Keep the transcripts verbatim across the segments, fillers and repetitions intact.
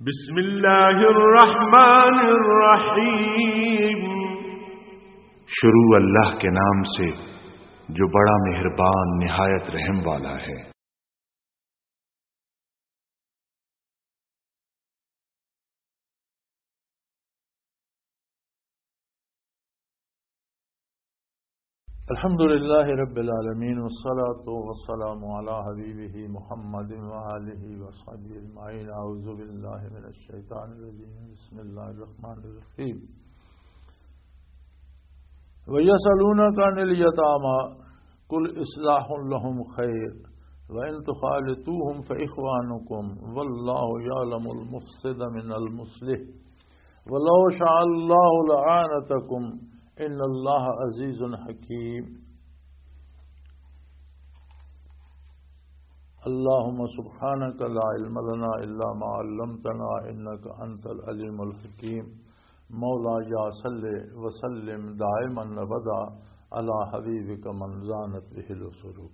بسم اللہ الرحمن الرحیم۔ شروع اللہ کے نام سے جو بڑا مہربان نہایت رحم والا ہے۔ الحمد لله رب العالمين، والصلاة والسلام على حبيبه محمد وآله وصحبه أجمعين. أعوذ بالله من الشيطان الرجيم. بسم الله الرحمن الرحيم. ويسألونك عن اليتامى، قل إصلاح لهم خير، وإن تخالطوهم فإخوانكم، والله يعلم المفسد من المصلح، ولو شاء الله لأعنتكم، إن الله عزيز حكيم. اللهم سبحانك لا علم لنا إلا ما علمتنا إنك أنت العليم الحكيم. مولاي صل وسلم دائما أبدا على حبيبك من زانت به العصور.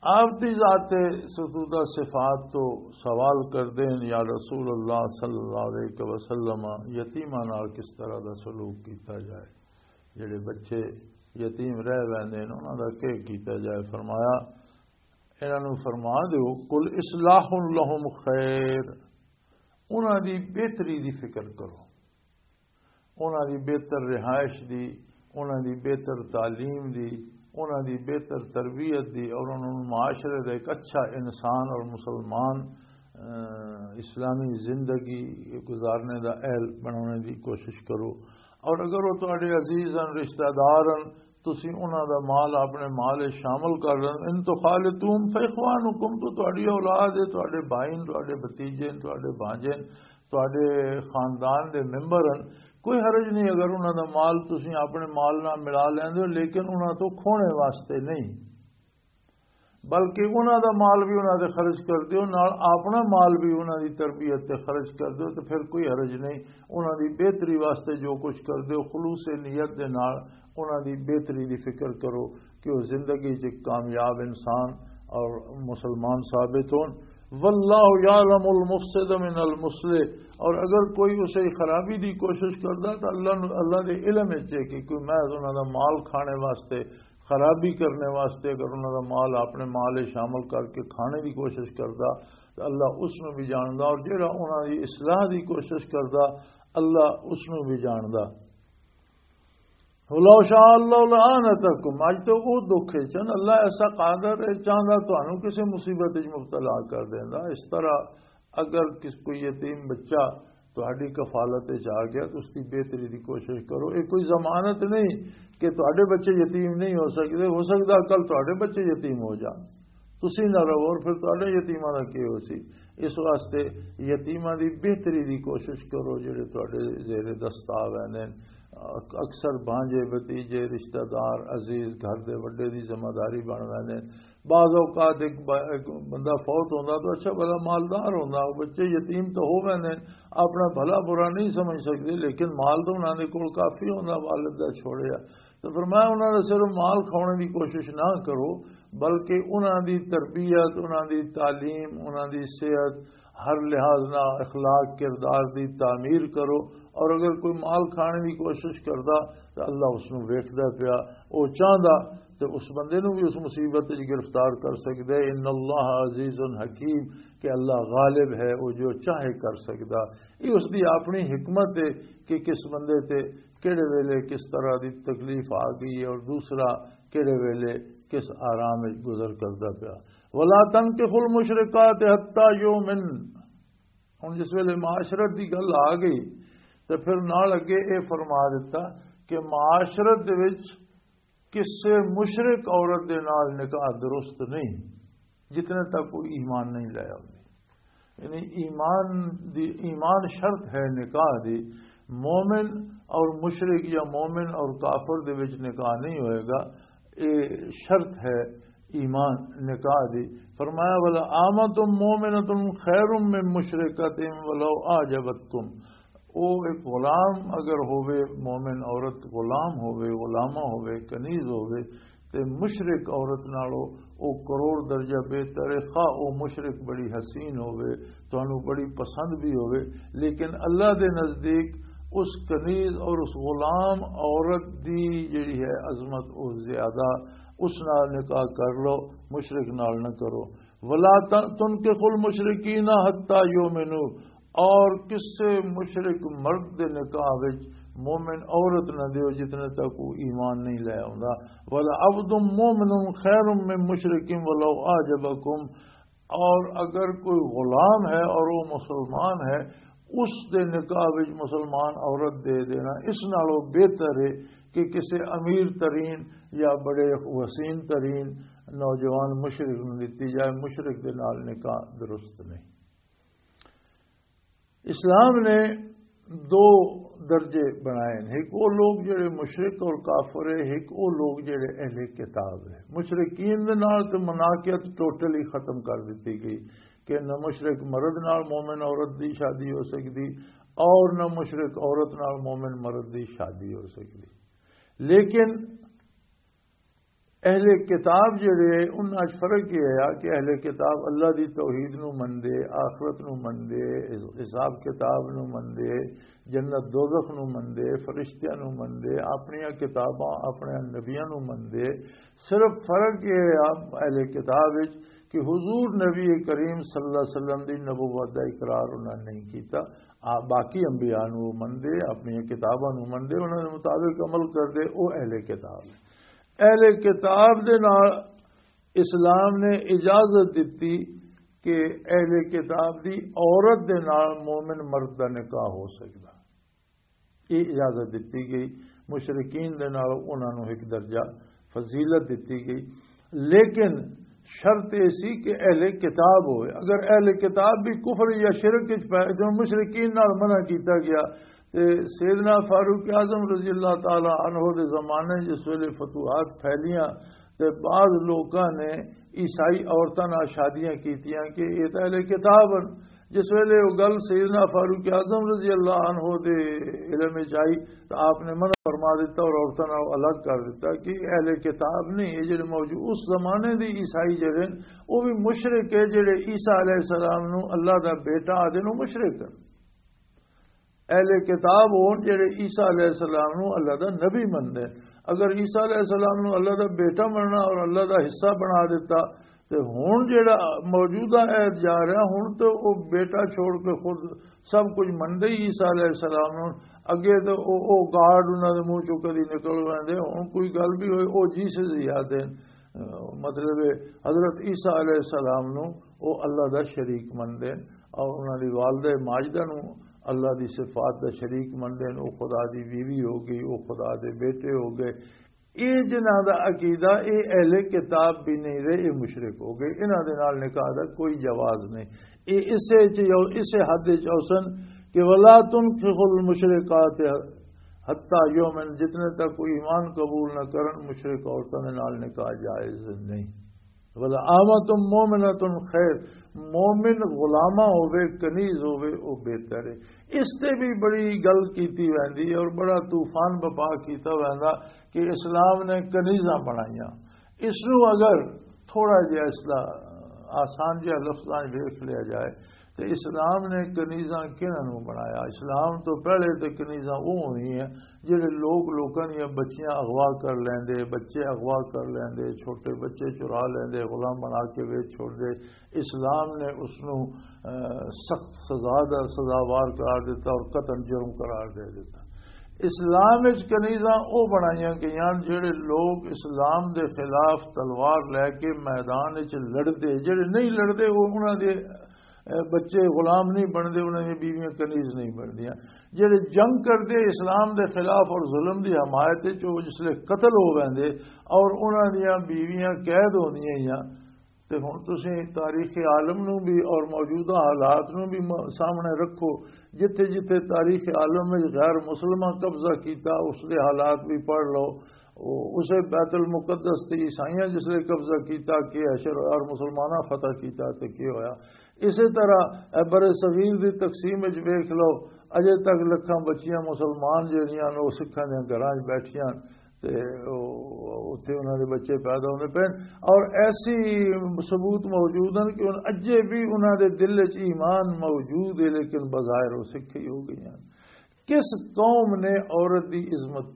آپ دی ذات ستودہ صفات تو سوال کردے ہیں، یا رسول اللہ صلی اللہ علیہ وسلم، یتیماں نال کس طرح دا سلوک کیتا جائے؟ جڑے بچے یتیم رہ ویندے نے، انہاں دا کی کیتا جائے؟ فرمایا، انہاں نوں فرما دیو، "قل اصلاح لهم خیر"، انہاں دی بہتری دی فکر کرو، انہاں دی بہتر رہائش دی، انہاں دی بہتر تعلیم دی، انہاں دی بہتر تربیت دی، اور انہاں نوں معاشرے دا ایک اچھا انسان اور مسلمان، آ، اسلامی زندگی گزارنے دا اہل بنانے دی کوشش کرو۔ اور اگر وہ تہاڈے عزیز ہن، رشتہ دار ہن، تسی انہاں دا مال اپنے مال وچ شامل کر لین۔ "ان تخالطوهم فاخوانکم"، تو تہاڈی اولاد ہے، تہاڈے بھائی ہن، تہاڈے بھتیجے ہن، تہاڈے بھانجے ہن، تہاڈے خاندان دے ممبر ہن، کوئی حرج نہیں اگر انہاں دا مال تسی اپنے مال نال ملا لیندے ہو، لیکن انہاں تو کھونے واسطے نہیں، بلکہ انہاں دا مال بھی انہاں تے خرچ کر دیو، نال اپنا مال بھی انہاں دی تربیت تے خرچ کر دیو، تے پھر کوئی حرج نہیں۔ انہاں دی بہتری واسطے جو کچھ کر دیو، خلوص نیت دے نال انہاں دی بہتری دی فکر کرو کہ وہ زندگی چ کامیاب انسان اور مسلمان ثابت ہون۔ "واللہ یعلم المفسد من المصلح"، اور اگر کوئی اسے خرابی دی کوشش کردا تو اللہ نو، اللہ دے علم وچ ہے کہ کوئی محض انہاں دا مال کھانے واسطے، خرابی کرنے واسطے اگر انہاں دا مال اپنے مال وچ شامل کر کے کھانے دی کوشش کردا تو اللہ اس نو بھی جاندا، اور جڑا انہاں دی اصلاح دی کوشش کردا، اللہ اس نو بھی جاندا۔ "ولو شاء اللہ لعنتکم"، اج تو وہ دکھ ہے چن، اللہ ایسا قادر ہے، چاہندا تانوں کسے مصیبت وچ مبتلا کر دیندا۔ اس طرح اگر کس کوئی یتیم بچہ تہاڈی کفالت وچ آ گیا تو اس دی بہتری دی کوشش کرو۔ یہ کوئی ضمانت نہیں کہ تہاڈے بچے یتیم نہیں ہو سکدے، ہو سکدا کل تہاڈے بچے یتیم ہو جان، تسی نہ رہو، اور پھر تہاڈے یتیماں دا کی ہو سی؟ اس واسطے یتیماں دی بہتری دی کوشش کرو، جڑے تہاڈے زیر دست آ ویندے نے۔ اک-، اکثر بھانجے، بھتیجے، رشتہ دار، عزیز، گھر دے وڈے دی ذمہ داری بن ویندے نے۔ بعض اوقات ایک ب-، ایک بندہ فوت ہوندا تو اچھا بڑا مالدار ہوندا، وہ بچے یتیم تو ہو ویندے نے، اپنا بھلا برا نہیں سمجھ سکدے، لیکن مال تو انہاں دے کول کافی ہوندا، والد دا چھوڑیا۔ تو فرمایا، انہاں دا صرف مال کھانے دی کوشش نہ کرو، بلکہ انہاں دی تربیت، انہاں دی تعلیم، انہاں دی صحت، ہر لحاظ نال اخلاق کردار دی تعمیر کرو۔ اور اگر کوئی مال کھانے دی کوشش کردا تو اللہ اس نو ویکھدا پیا، او چاہندا تے اس بندے نو بھی اس مصیبت وچ گرفتار کر سکدا ہے۔ ان اللہ عزیز حکیم، کہ اللہ غالب ہے، وہ جو چاہے کر سکدا۔ یہ اس دی اپنی حکمت ہے کہ کس بندے تے کہڑے ویلے کس طرح دی تکلیف آ گئی ہے اور دوسرا کہڑے ویلے کس آرام وچ گزر کردا پیا۔ "ولا تنکحوا المشرکات حتی یؤمن"، ہن جس ویلے معاشرت دی گل آ گئی تے پھر نال اگے اے فرما دتا کہ معاشرت دے وچ کسے مشرک عورت دے نال نکاح درست نہیں، جتنے تک کوئی ایمان نہیں لایا ہوندی۔ یعنی ایمان دی، ایمان شرط ہے نکاح دی۔ مومن اور مشرک یا مومن اور کافر دے وچ نکاح نہیں ہوئے گا، اے شرط ہے ایمان نکاح دی۔ فرمایا، "ولا آمۃ مؤمنۃ خیر من مشرکۃ ولو اعجبتکم"، او ایک غلام اگر ہووے، مومن عورت غلام ہووے، غلامہ ہووے، کنیز ہووے، تے مشرک عورت نالوں او کروڑ درجہ بہتر ہے، خواہ او مشرک بڑی حسین ہووے، تانوں بڑی پسند بھی ہووے، لیکن اللہ دے نزدیک اس کنیز اور اس غلام عورت دی جڑی ہے عظمت، او زیادہ، اس نال نکاح کر لو، مشرک نال نہ کرو۔ ولا تنکحوا المشرکین حتی یؤمنوا، اور کسے مشرک مرد دے نکاح وچ مومن عورت نہ دیو جتنے تک وہ ایمان نہیں لے آوندا۔ ولعبد مؤمن خیر من مشرک ولو اعجبکم، اور اگر کوئی غلام ہے اور وہ مسلمان ہے، اس دے نکاح وچ مسلمان عورت دے دینا اس نالوں بہتر ہے کہ کسے امیر ترین یا بڑے وسیم ترین نوجوان مشرک نوں دتی جائے، مشرک دے نال نکاح درست نہیں۔ اسلام نے دو درجے بنائے ہیں، ایک وہ لوگ جڑے مشرک اور کافر ہیں، ایک وہ لوگ جڑے اہل کتاب ہیں۔ مشرکین دے نال تے مناکیت ٹوٹلی ختم کر دتی گئی کہ نہ مشرک مرد نال مومن عورت دی شادی ہو سکدی اور نہ مشرک عورت نال مومن مرد دی شادی ہو سکدی۔ لیکن اہل کتاب جڑے ہیں، انہاں وچ فرق یہ ہے کہ اہل کتاب اللہ دی توحید نو مندے، آخرت نو مندے، حساب کتاب نو مندے، جنت دوزخ نو مندے، فرشتیاں نو مندے، اپنیاں کتاباں، اپنے نبیاں نو مندے۔ صرف فرق یہ ہے اہل کتاب وچ کہ حضور نبی کریم صلی اللہ علیہ وسلم دی نبوت دا اقرار انہاں نے نہیں کیتا۔ آ، باقی انبیاء نو مندے، اپنیاں کتاباں نو مندے، انہاں دے مطابق عمل کردے، او اہل کتاب۔ اہل کتاب دے نال اسلام نے اجازت دتی کہ اہل کتاب دی عورت دے نال مومن مرد دا نکاح ہو سکدا۔ یہ اجازت دتی گئی، مشرکین دے نال انہاں نوں ایک درجہ فضیلت دتی گئی، لیکن شرط یہ سی کہ اہل کتاب ہوئے۔ اگر اہل کتاب بھی کفر یا شرک وچ پائے تو مشرکین نال منع کیتا گیا۔ تے سیدنا فاروق اعظم رضی اللہ تعالی عنہ دے زمانے جس ویلے فتوحات پھیلیاں تے بعض لوکاں نے عیسائی عورتاں نال شادیاں کیتیاں کہ یہ تاں اہل کتاب ہن۔ جس ویلے وہ گل سیدنا فاروق اعظم رضی اللہ عنہ دے علم وچ آئی تو آپ نے منع فرما دیتا اور عورتاں نال الگ کر دیتا کہ اہل کتاب نہیں، یہ جڑے موجود اس زمانے دی عیسائی جڑے ہن، وہ بھی مشرک ہے، جڑے عیسیٰ علیہ السلام نو اللہ دا بیٹا آدھے نو مشرک ہن۔ اہل کتاب ہون جڑے عیسیٰ علیہ السلام نو اللہ دا نبی مندے۔ اگر عیسیٰ علیہ السلام نو اللہ دا بیٹا مننا اور اللہ دا حصہ بنا دیتا، تے ہن جڑا موجودہ عہد جا رہا، ہن تے او بیٹا چھوڑ کے خود سب کچھ مندے ہی عیسیٰ علیہ السلام نو۔ اگے تے او، او گارڈ انہاں دے منہ چوں کدی نکل ویندے، ہن کوئی گل بھی ہوئے، او جیسس ہی آدھے۔ مطلب ہے، حضرت عیسیٰ علیہ السلام نو او اللہ دا شریک مندے اور انہاں دی والدہ ماجدہ نو اللہ دی صفات دا شریک مندے، او خدا دی بیوی ہو گئی، او خدا دے بیٹے ہو گئے۔ اے جنہاں دا عقیدہ، اے اہل کتاب بھی نہیں رہے، اے مشرک ہو گئے، انہاں دے نال نکاح دا کوئی جواز نہیں۔ اے اسے چ-، اسے حد وچ اوسن کہ ولا تنکحوا المشرکات حتی یؤمن، جتنے تک کوئی ایمان قبول نہ کرن، مشرک عورتاں دے نال نکاح جائز نہیں۔ ولا امۃ مؤمنۃ خیر، مومن غلامہ ہوے، کنیز ہوے، او بہتر ہے۔ اس تے بھی بڑی گل کیتی ویندی ہے اور بڑا طوفان بپا کیتا ویندا کہ اسلام نے کنیزاں بنائیاں۔ اس نو اگر تھوڑا جہا اس دا آسان جہا لفظاں وچ ویکھ لیا جائے تے اسلام نے کنیزاں کہڑاں نو بنایا؟ اسلام تو پہلے تے کنیزاں وہ ہوئی ہیں جڑے لوگ لوکاں دیاں بچیاں اغوا کر لیندے، بچے اغوا کر لیندے، چھوٹے بچے چرا لیندے، غلام بنا کے ویچ چھوڑ دے۔ اسلام نے اس نو، اہ، سخت سزا دا سزاوار قرار دیتا اور قطعاً جرم قرار دے دیتا۔ اسلام وچ کنیزاں او بنائیاں گئیاں جڑے لوگ اسلام دے خلاف تلوار لے کے میدان وچ لڑدے، جڑے نہیں لڑدے، وہ انہاں دے، اہ، بچے غلام نہیں بنتے، انہاں دی بیویاں کنیز نہیں بنتیاں۔ جڑے جنگ کردے اسلام دے خلاف اور ظلم دی حمایت وچ، وہ جس لے قتل ہو ویندے اور انہاں دیاں بیویاں قید ہوندیاں ہیاں۔ تے ہن تسیں تاریخ عالم نو بھی اور موجودہ حالات نو بھی م-، سامنے رکھو، جتھے جتھے تاریخ عالم وچ غیر مسلماں قبضہ کیتا، اس دے حالات بھی پڑھ لو۔ او-، اسے بیت المقدس تے عیسائیاں جس لے قبضہ کیتا، کہ اشر اور مسلماناں فتح کیتا تے کی ہویا۔ اسی طرح اے بر صغیر دی تقسیم وچ ویکھ لو، اجے تک لکھاں بچیاں مسلمان جڑیاں نے، او سکھاں دیاں گھراں وچ بیٹھیاں۔ تے او-، اتھے انہاں دے بچے پیدا ہوندے پئے نے۔ اور ایسی ثبوت موجود ہیں کہ ان-، اجے بھی انہاں دے دل وچ ایمان موجود ہے، لیکن بظاہر وہ سکھے ہی ہو گئی ہیں۔ کس قوم نے عورت دی عظمت،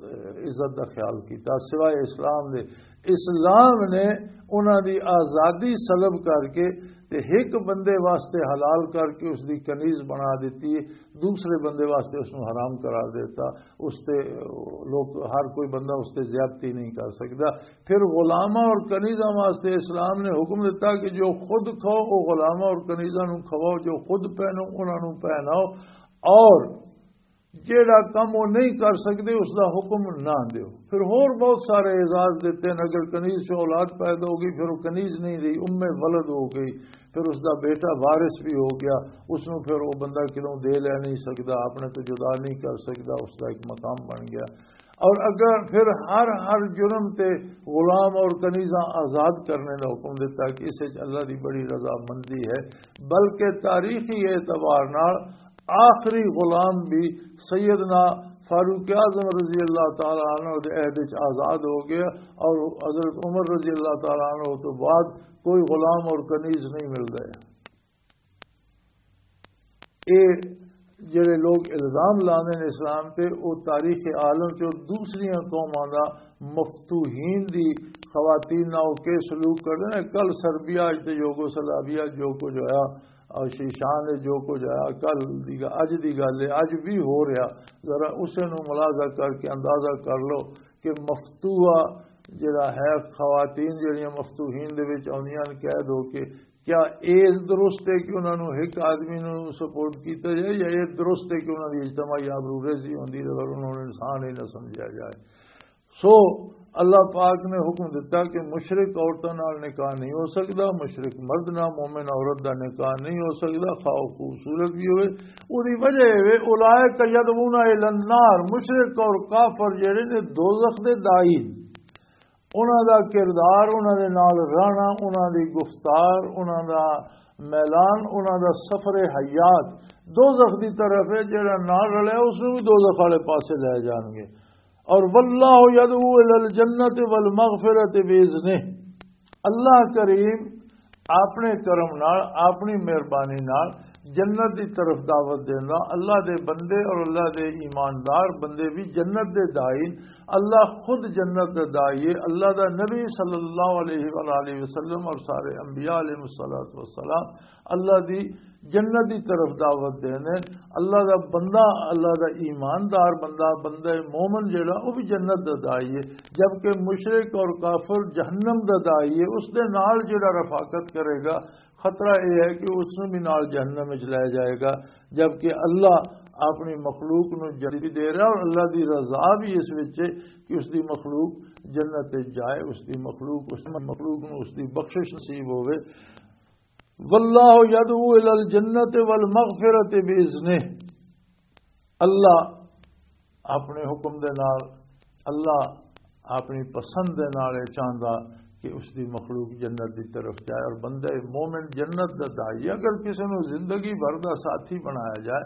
عزت دا خیال کیتا سوائے اسلام دے؟ اسلام نے انہاں دی آزادی سلب کر کے تے ایک بندے واسطے حلال کر کے اس دی کنیز بنا دیتی ہے، دوسرے بندے واسطے اس نوں حرام قرار دیتا۔ اس تے لوگ، ہر کوئی بندہ اس تے زیادتی نہیں کر سکدا۔ پھر غلاماں اور کنیزاں واسطے اسلام نے حکم دیتا کہ جو خود کھاؤ، وہ غلاماں اور کنیزاں نوں کھواؤ، جو خود پہنو، انہاں نوں پہناؤ۔ اور جیڑا کم وہ نہیں کر سکدے، اس دا حکم نہ دیو۔ پھر ہور بہت سارے اعزاز دیتے ہیں۔ اگر کنیز سے اولاد پیدا ہوگی، پھر وہ کنیز نہیں رہی، ام ولد ہو گئی، پھر اس دا بیٹا وارث بھی ہو گیا، اس نوں پھر وہ بندہ کدوں دے لے نہیں سکدا، اپنے تو جدا نہیں کر سکدا، اس دا ایک مقام بن گیا۔ اور اگر پھر ہر، ہر جرم تے غلام اور کنیزاں آزاد کرنے دا حکم دیتا کہ اس وچ اللہ دی بڑی رضامندی ہے، بلکہ تاریخی اعتبار نال آخری غلام بھی سیدنا فاروق اعظم رضی اللہ تعالیٰ عنہ دے عہد وچ آزاد ہو گیا، اور حضرت عمر رضی اللہ تعالیٰ عنہ تو بعد کوئی غلام اور کنیز نہیں ملدا ہے۔ اے جڑے لوگ الزام لاندے نے اسلام تے، او تاریخ عالم چ دوسریاں قوماں دا مفتوحین دی خواتین نال او کے سلوک کردے نے۔ کل سربیا، اج تے یوگوسلاویا جو کچھ ہویا، اور شیشان نے جو کچھ ہویا، کل دی گ-، اج دی گل ہے، اج بھی ہو رہا۔ ذرا اسے نو ملاحظہ کر کے اندازہ کر لو کہ مفتوحہ جڑا ہے، خواتین جڑیاں مفتوحین دے وچ آندیاں نے قید ہو کے، کیا اے درست ہے کہ انہاں نوں ایک آدمی نوں سپورٹ کیتا جائے، یا اے درست ہے کہ انہاں دی اجتماعی آبرو ریزی ہوندی ہے اور انہاں نوں انسان ہی نہ سمجھا جائے؟ سو اللہ پاک نے حکم دیتا کہ مشرک عورتاں نال نکاح نہیں ہو سکدا، مشرک مرد نال مومن عورت دا نکاح نہیں ہو سکدا، خواہ وہ خوبصورت بھی ہوئے۔ اودی وجہ اے وے، اولئک یدعون الی النار، مشرک اور کافر جڑے نے دوزخ دے داعی، انہاں دا کردار، انہاں دے نال رہنا، انہاں دی گفتار، انہاں دا میلان، انہاں دا سفر حیات دوزخ دی طرف ہے۔ جڑا نال رلیا، اس نوں بھی دوزخ والے پاسے لے جان گے۔ اور واللہ یدعو الی الجنت والمغفرۃ باذنہ، اللہ کریم اپنے کرم نال، اپنی مہربانی نال جنت دی طرف دعوت دیندا۔ اللہ دے بندے اور اللہ دے ایماندار بندے بھی جنت دے داعی۔ اللہ خود جنت دے داعی ہے۔ اللہ دا نبی صلی اللہ علیہ وآلہ وسلم اور سارے انبیاء علیہ الصلوۃ والسلام اللہ دی جنت دی طرف دعوت دیندے۔ اللہ دا بندہ، اللہ دا ایماندار بندہ، بندہ مومن جڑا، وہ بھی جنت دا داعی ہے، جبکہ مشرک اور کافر جہنم دا داعی ہے۔ اس دے نال جڑا رفاقت کرے گا، خطرہ یہ ہے کہ اس نوں بھی نال جہنم وچ لے جائے گا، جبکہ اللہ اپنی مخلوق نوں جنت بھی دے رہا اور اللہ دی رضا بھی اس وچ ہے کہ اس دی مخلوق جنت وچ جائے، اس دی مخلوق، اس مخلوق نوں اس دی بخشش نصیب ہوئے۔ واللہ یدعو الی الجنت والمغفرۃ باذنہ۔ اللہ اپنے حکم دے نال، اللہ اپنی پسند دے نال یہ چاہندا کہ اس دی مخلوق جنت دی طرف جائے، اور بندہ مومن جنت دا داعی۔ اگر کسی نوں زندگی بھر دا ساتھی بنایا جائے،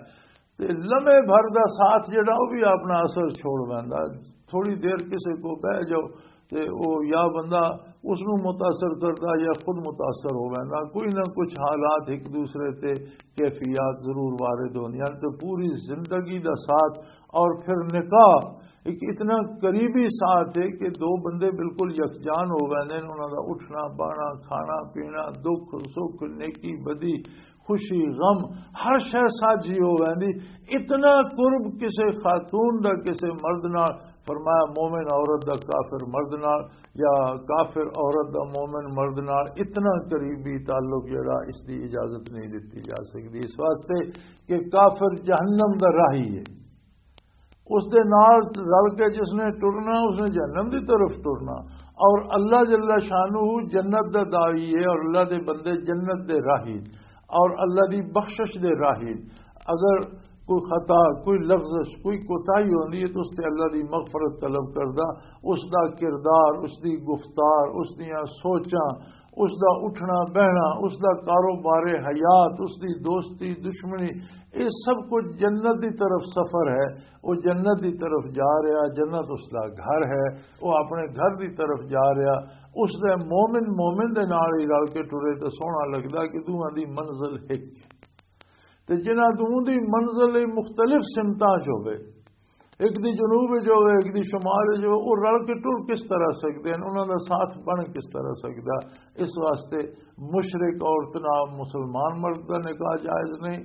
تے لمحے بھر دا ساتھ جڑا، وہ بھی اپنا اثر چھوڑ ویندا۔ تھوڑی دیر کسے کو بہ جاؤ، تے او یا بندہ اس نوں متاثر کردا یا خود متاثر ہو ویندا۔ کوئی نہ کچھ حالات ایک دوسرے تے کیفیات ضرور وارد ہوندیاں۔ تے پوری زندگی دا ساتھ اور پھر نکاح ایک اتنا قریبی ساتھ ہے کہ دو بندے بالکل یکجان ہو ویندے نے۔ انہاں دا اٹھنا، باہنا، کھانا، پینا، دکھ، سکھ، نیکی، بدی، خوشی، غم، ہر شے ساجی ہو ویندی۔ اتنا قرب کسے خاتون دا کسے مرد نال، فرمایا مومن عورت دا کافر مرد نال، یا کافر عورت دا مومن مرد نال اتنا قریبی تعلق جڑا، اس دی اجازت نہیں دتی جا سکدی، اس واسطے کہ کافر جہنم دا راہی ہے۔ اس دے نال رل کے جس نے ٹرنا، اس نے جہنم دی طرف ٹرنا۔ اور اللہ جل شانہ جنت دا داعی ہے اور اللہ دے بندے جنت دے راہی اور اللہ دی بخشش دے راہی۔ اگر کوئی خطا، کوئی لغزش، کوئی کوتاہی ہوندی ہے تو اس تے اللہ دی مغفرت طلب کردا، اس دا کردار، اس دی گفتار، اس دیاں سوچاں، اس دا اٹھنا بہنا، اس دا کاروبار حیات، اس دی دوستی دشمنی، یہ سب کچھ جنت دی طرف سفر ہے۔ وہ جنت دی طرف جا رہا، جنت اس دا گھر ہے، وہ اپنے گھر دی طرف جا رہا۔ اس دے مومن مومن دے نال ہی رل کے ٹرے تے سوہنا لگدا کہ دوواں دی منزل ہک ہے۔ تے جنہاں دوواں دی منزل ہی مختلف سمتاں چ ہوے، ایک دی جنوب وچ ہوے، ایک دی شمال وچ ہوے، وہ رل کے ٹر کس طرح سکدے ہیں؟ انہاں دا ساتھ بن کس طرح سکدا؟ اس واسطے مشرک عورت نال مسلمان مرد دا نکاح جائز نہیں،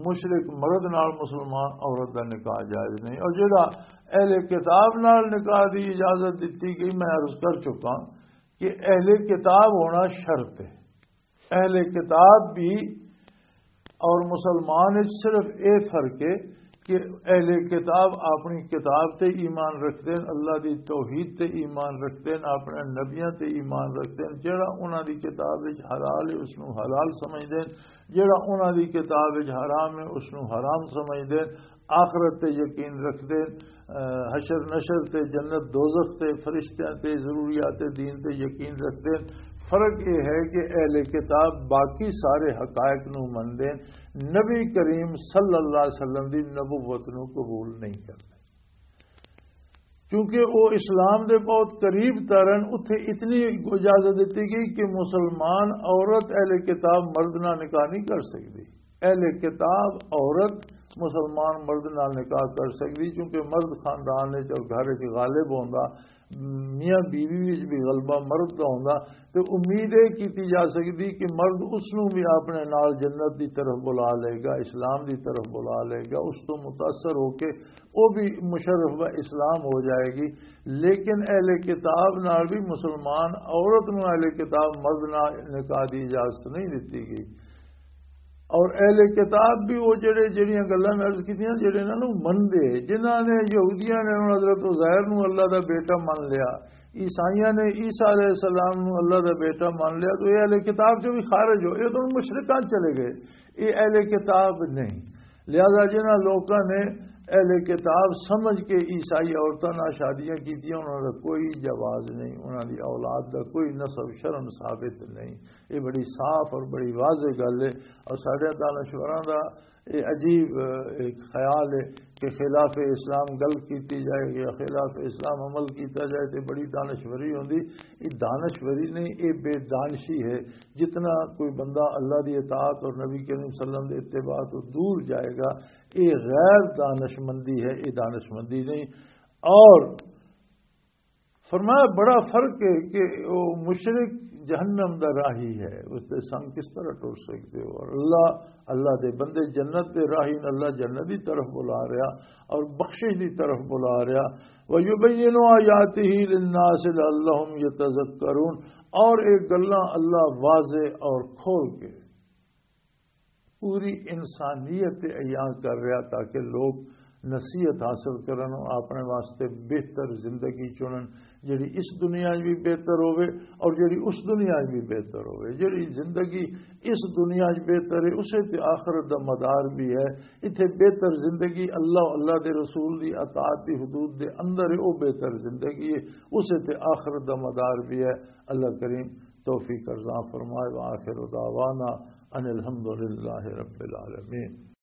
مشرک مرد نال مسلمان عورت دا نکاح جائز نہیں۔ اور جڑا اہل کتاب نال نکاح دی اجازت دتی گئی، میں عرض کر چکا کہ اہل کتاب ہونا شرط ہے۔ اہل کتاب بھی اور مسلمان وچ صرف اے فرق ہے کہ اہل کتاب اپنی کتاب تے ایمان رکھدے ہیں، اللہ دی توحید تے ایمان رکھدے ہیں، اپنے نبیاں تے ایمان رکھدے ہیں۔ جڑا انہاں دی کتاب وچ حلال ہے، اس نوں حلال سمجھدے ہیں، جڑا انہاں دی کتاب وچ حرام ہے، اس نوں حرام سمجھدے ہیں۔ آخرت تے یقین رکھدے ہیں، حشر نشر تے، جنت دوزخ تے، فرشتیاں تے، ضروریات دین تے یقین رکھدے ہیں۔ فرق یہ ہے کہ اہل کتاب باقی سارے حقائق نوں مندے ہیں، نبی کریم صلی اللہ علیہ وسلم دی نبوت نوں قبول نہیں کردے، کیونکہ وہ اسلام دے بہت قریب تر ہیں۔ اتھے اتنی اجازت دتی گئی کہ مسلمان عورت اہل کتاب مرد نال نکاح نہیں کر سکدی۔ اہل کتاب عورت مسلمان مرد نال نکاح کر سکدی، کیونکہ مرد خاندان وچ اور گھر وچ غالب ہوندا، میاں بیوی وچ بھی غلبہ مرد دا ہوندا، تے امید یہ کیتی جا سکدی کہ مرد اس نوں بھی اپنے نال جنت دی طرف بلا لے گا، اسلام دی طرف بلا لے گا، اس تو متاثر ہو کے وہ بھی مشرف و اسلام ہو جائے گی۔ لیکن اہل کتاب نال بھی مسلمان عورت نوں اہل کتاب مرد نال نکاح دی اجازت نہیں دتی گئی۔ اور اہل کتاب بھی وہ جڑے، جڑیاں گلاں میں عرض کیتیاں، جڑے انہاں نوں مندے، جنہاں نے، یہودیاں نے انہاں حضرت عزیر نوں اللہ دا بیٹا من لیا، عیسائیاں نے عیسیٰ علیہ السلام نوں اللہ دا بیٹا من لیا، تو یہ اہل کتاب جو بھی خارج ہو، یہ تو مشرکان چلے گئے، یہ اہل کتاب نہیں۔ لہذا جنہاں لوکاں نے اہل کتاب سمجھ کے عیسائی عورتاں نال شادیاں کیتیاں، انہاں دا کوئی جواز نہیں، انہاں دی اولاد دا کوئی نسب شرم ثابت نہیں۔ یہ بڑی صاف اور بڑی واضح گل ہے۔ اور ساڈے دانشوراں دا یہ عجیب، اہ، ایک خیال ہے کہ خلاف اسلام گل کیتی جائے یا خلاف اسلام عمل کیتا جائے تے بڑی دانشوری ہوندی۔ یہ دانشوری نہیں، یہ بے دانشی ہے۔ جتنا کوئی بندہ اللہ دی اطاعت اور نبی کریم صلی اللہ علیہ وسلم دے اتباع تو دور جائے گا، یہ غیر دانشمندی ہے، یہ دانشمندی نہیں۔ اور فرمایا، بڑا فرق ہے کہ وہ مشرک جہنم دا راہی ہے، اس دے سنگ کس طرح ٹر سکتے ہو؟ اور اللہ، اللہ دے بندے جنت دے راہی نے، اللہ جنت دی طرف بلا رہا اور بخشش دی طرف بلا رہا۔ وَيُبَيِّنُ آيَاتِهِ لِلنَّاسِ لَعَلَّهُمْ يَتَذَكَّرُونَ، اور ایک گلاں اللہ واضح اور کھول کے پوری انسانیت تے عیاں کر رہا، تاکہ لوگ نصیحت حاصل کرن، اپنے واسطے بہتر زندگی چنن، جڑی اس دنیا 'چ بھی بہتر ہوے اور جڑی اس دنیا 'چ بھی بہتر ہوے۔ جڑی زندگی اس دنیا 'چ بہتر ہے، اسے تے آخرت دا مدار بھی ہے۔ اتھے بہتر زندگی اللہ، اللہ دے رسول دی اطاعت دی حدود دے اندر ہے، وہ بہتر زندگی ہے، اسے تے آخرت دا مدار بھی ہے۔ اللہ کریم توفیق ارزاں فرمائے۔ وآخر دعوانا ان الحمد للہ رب العالمین۔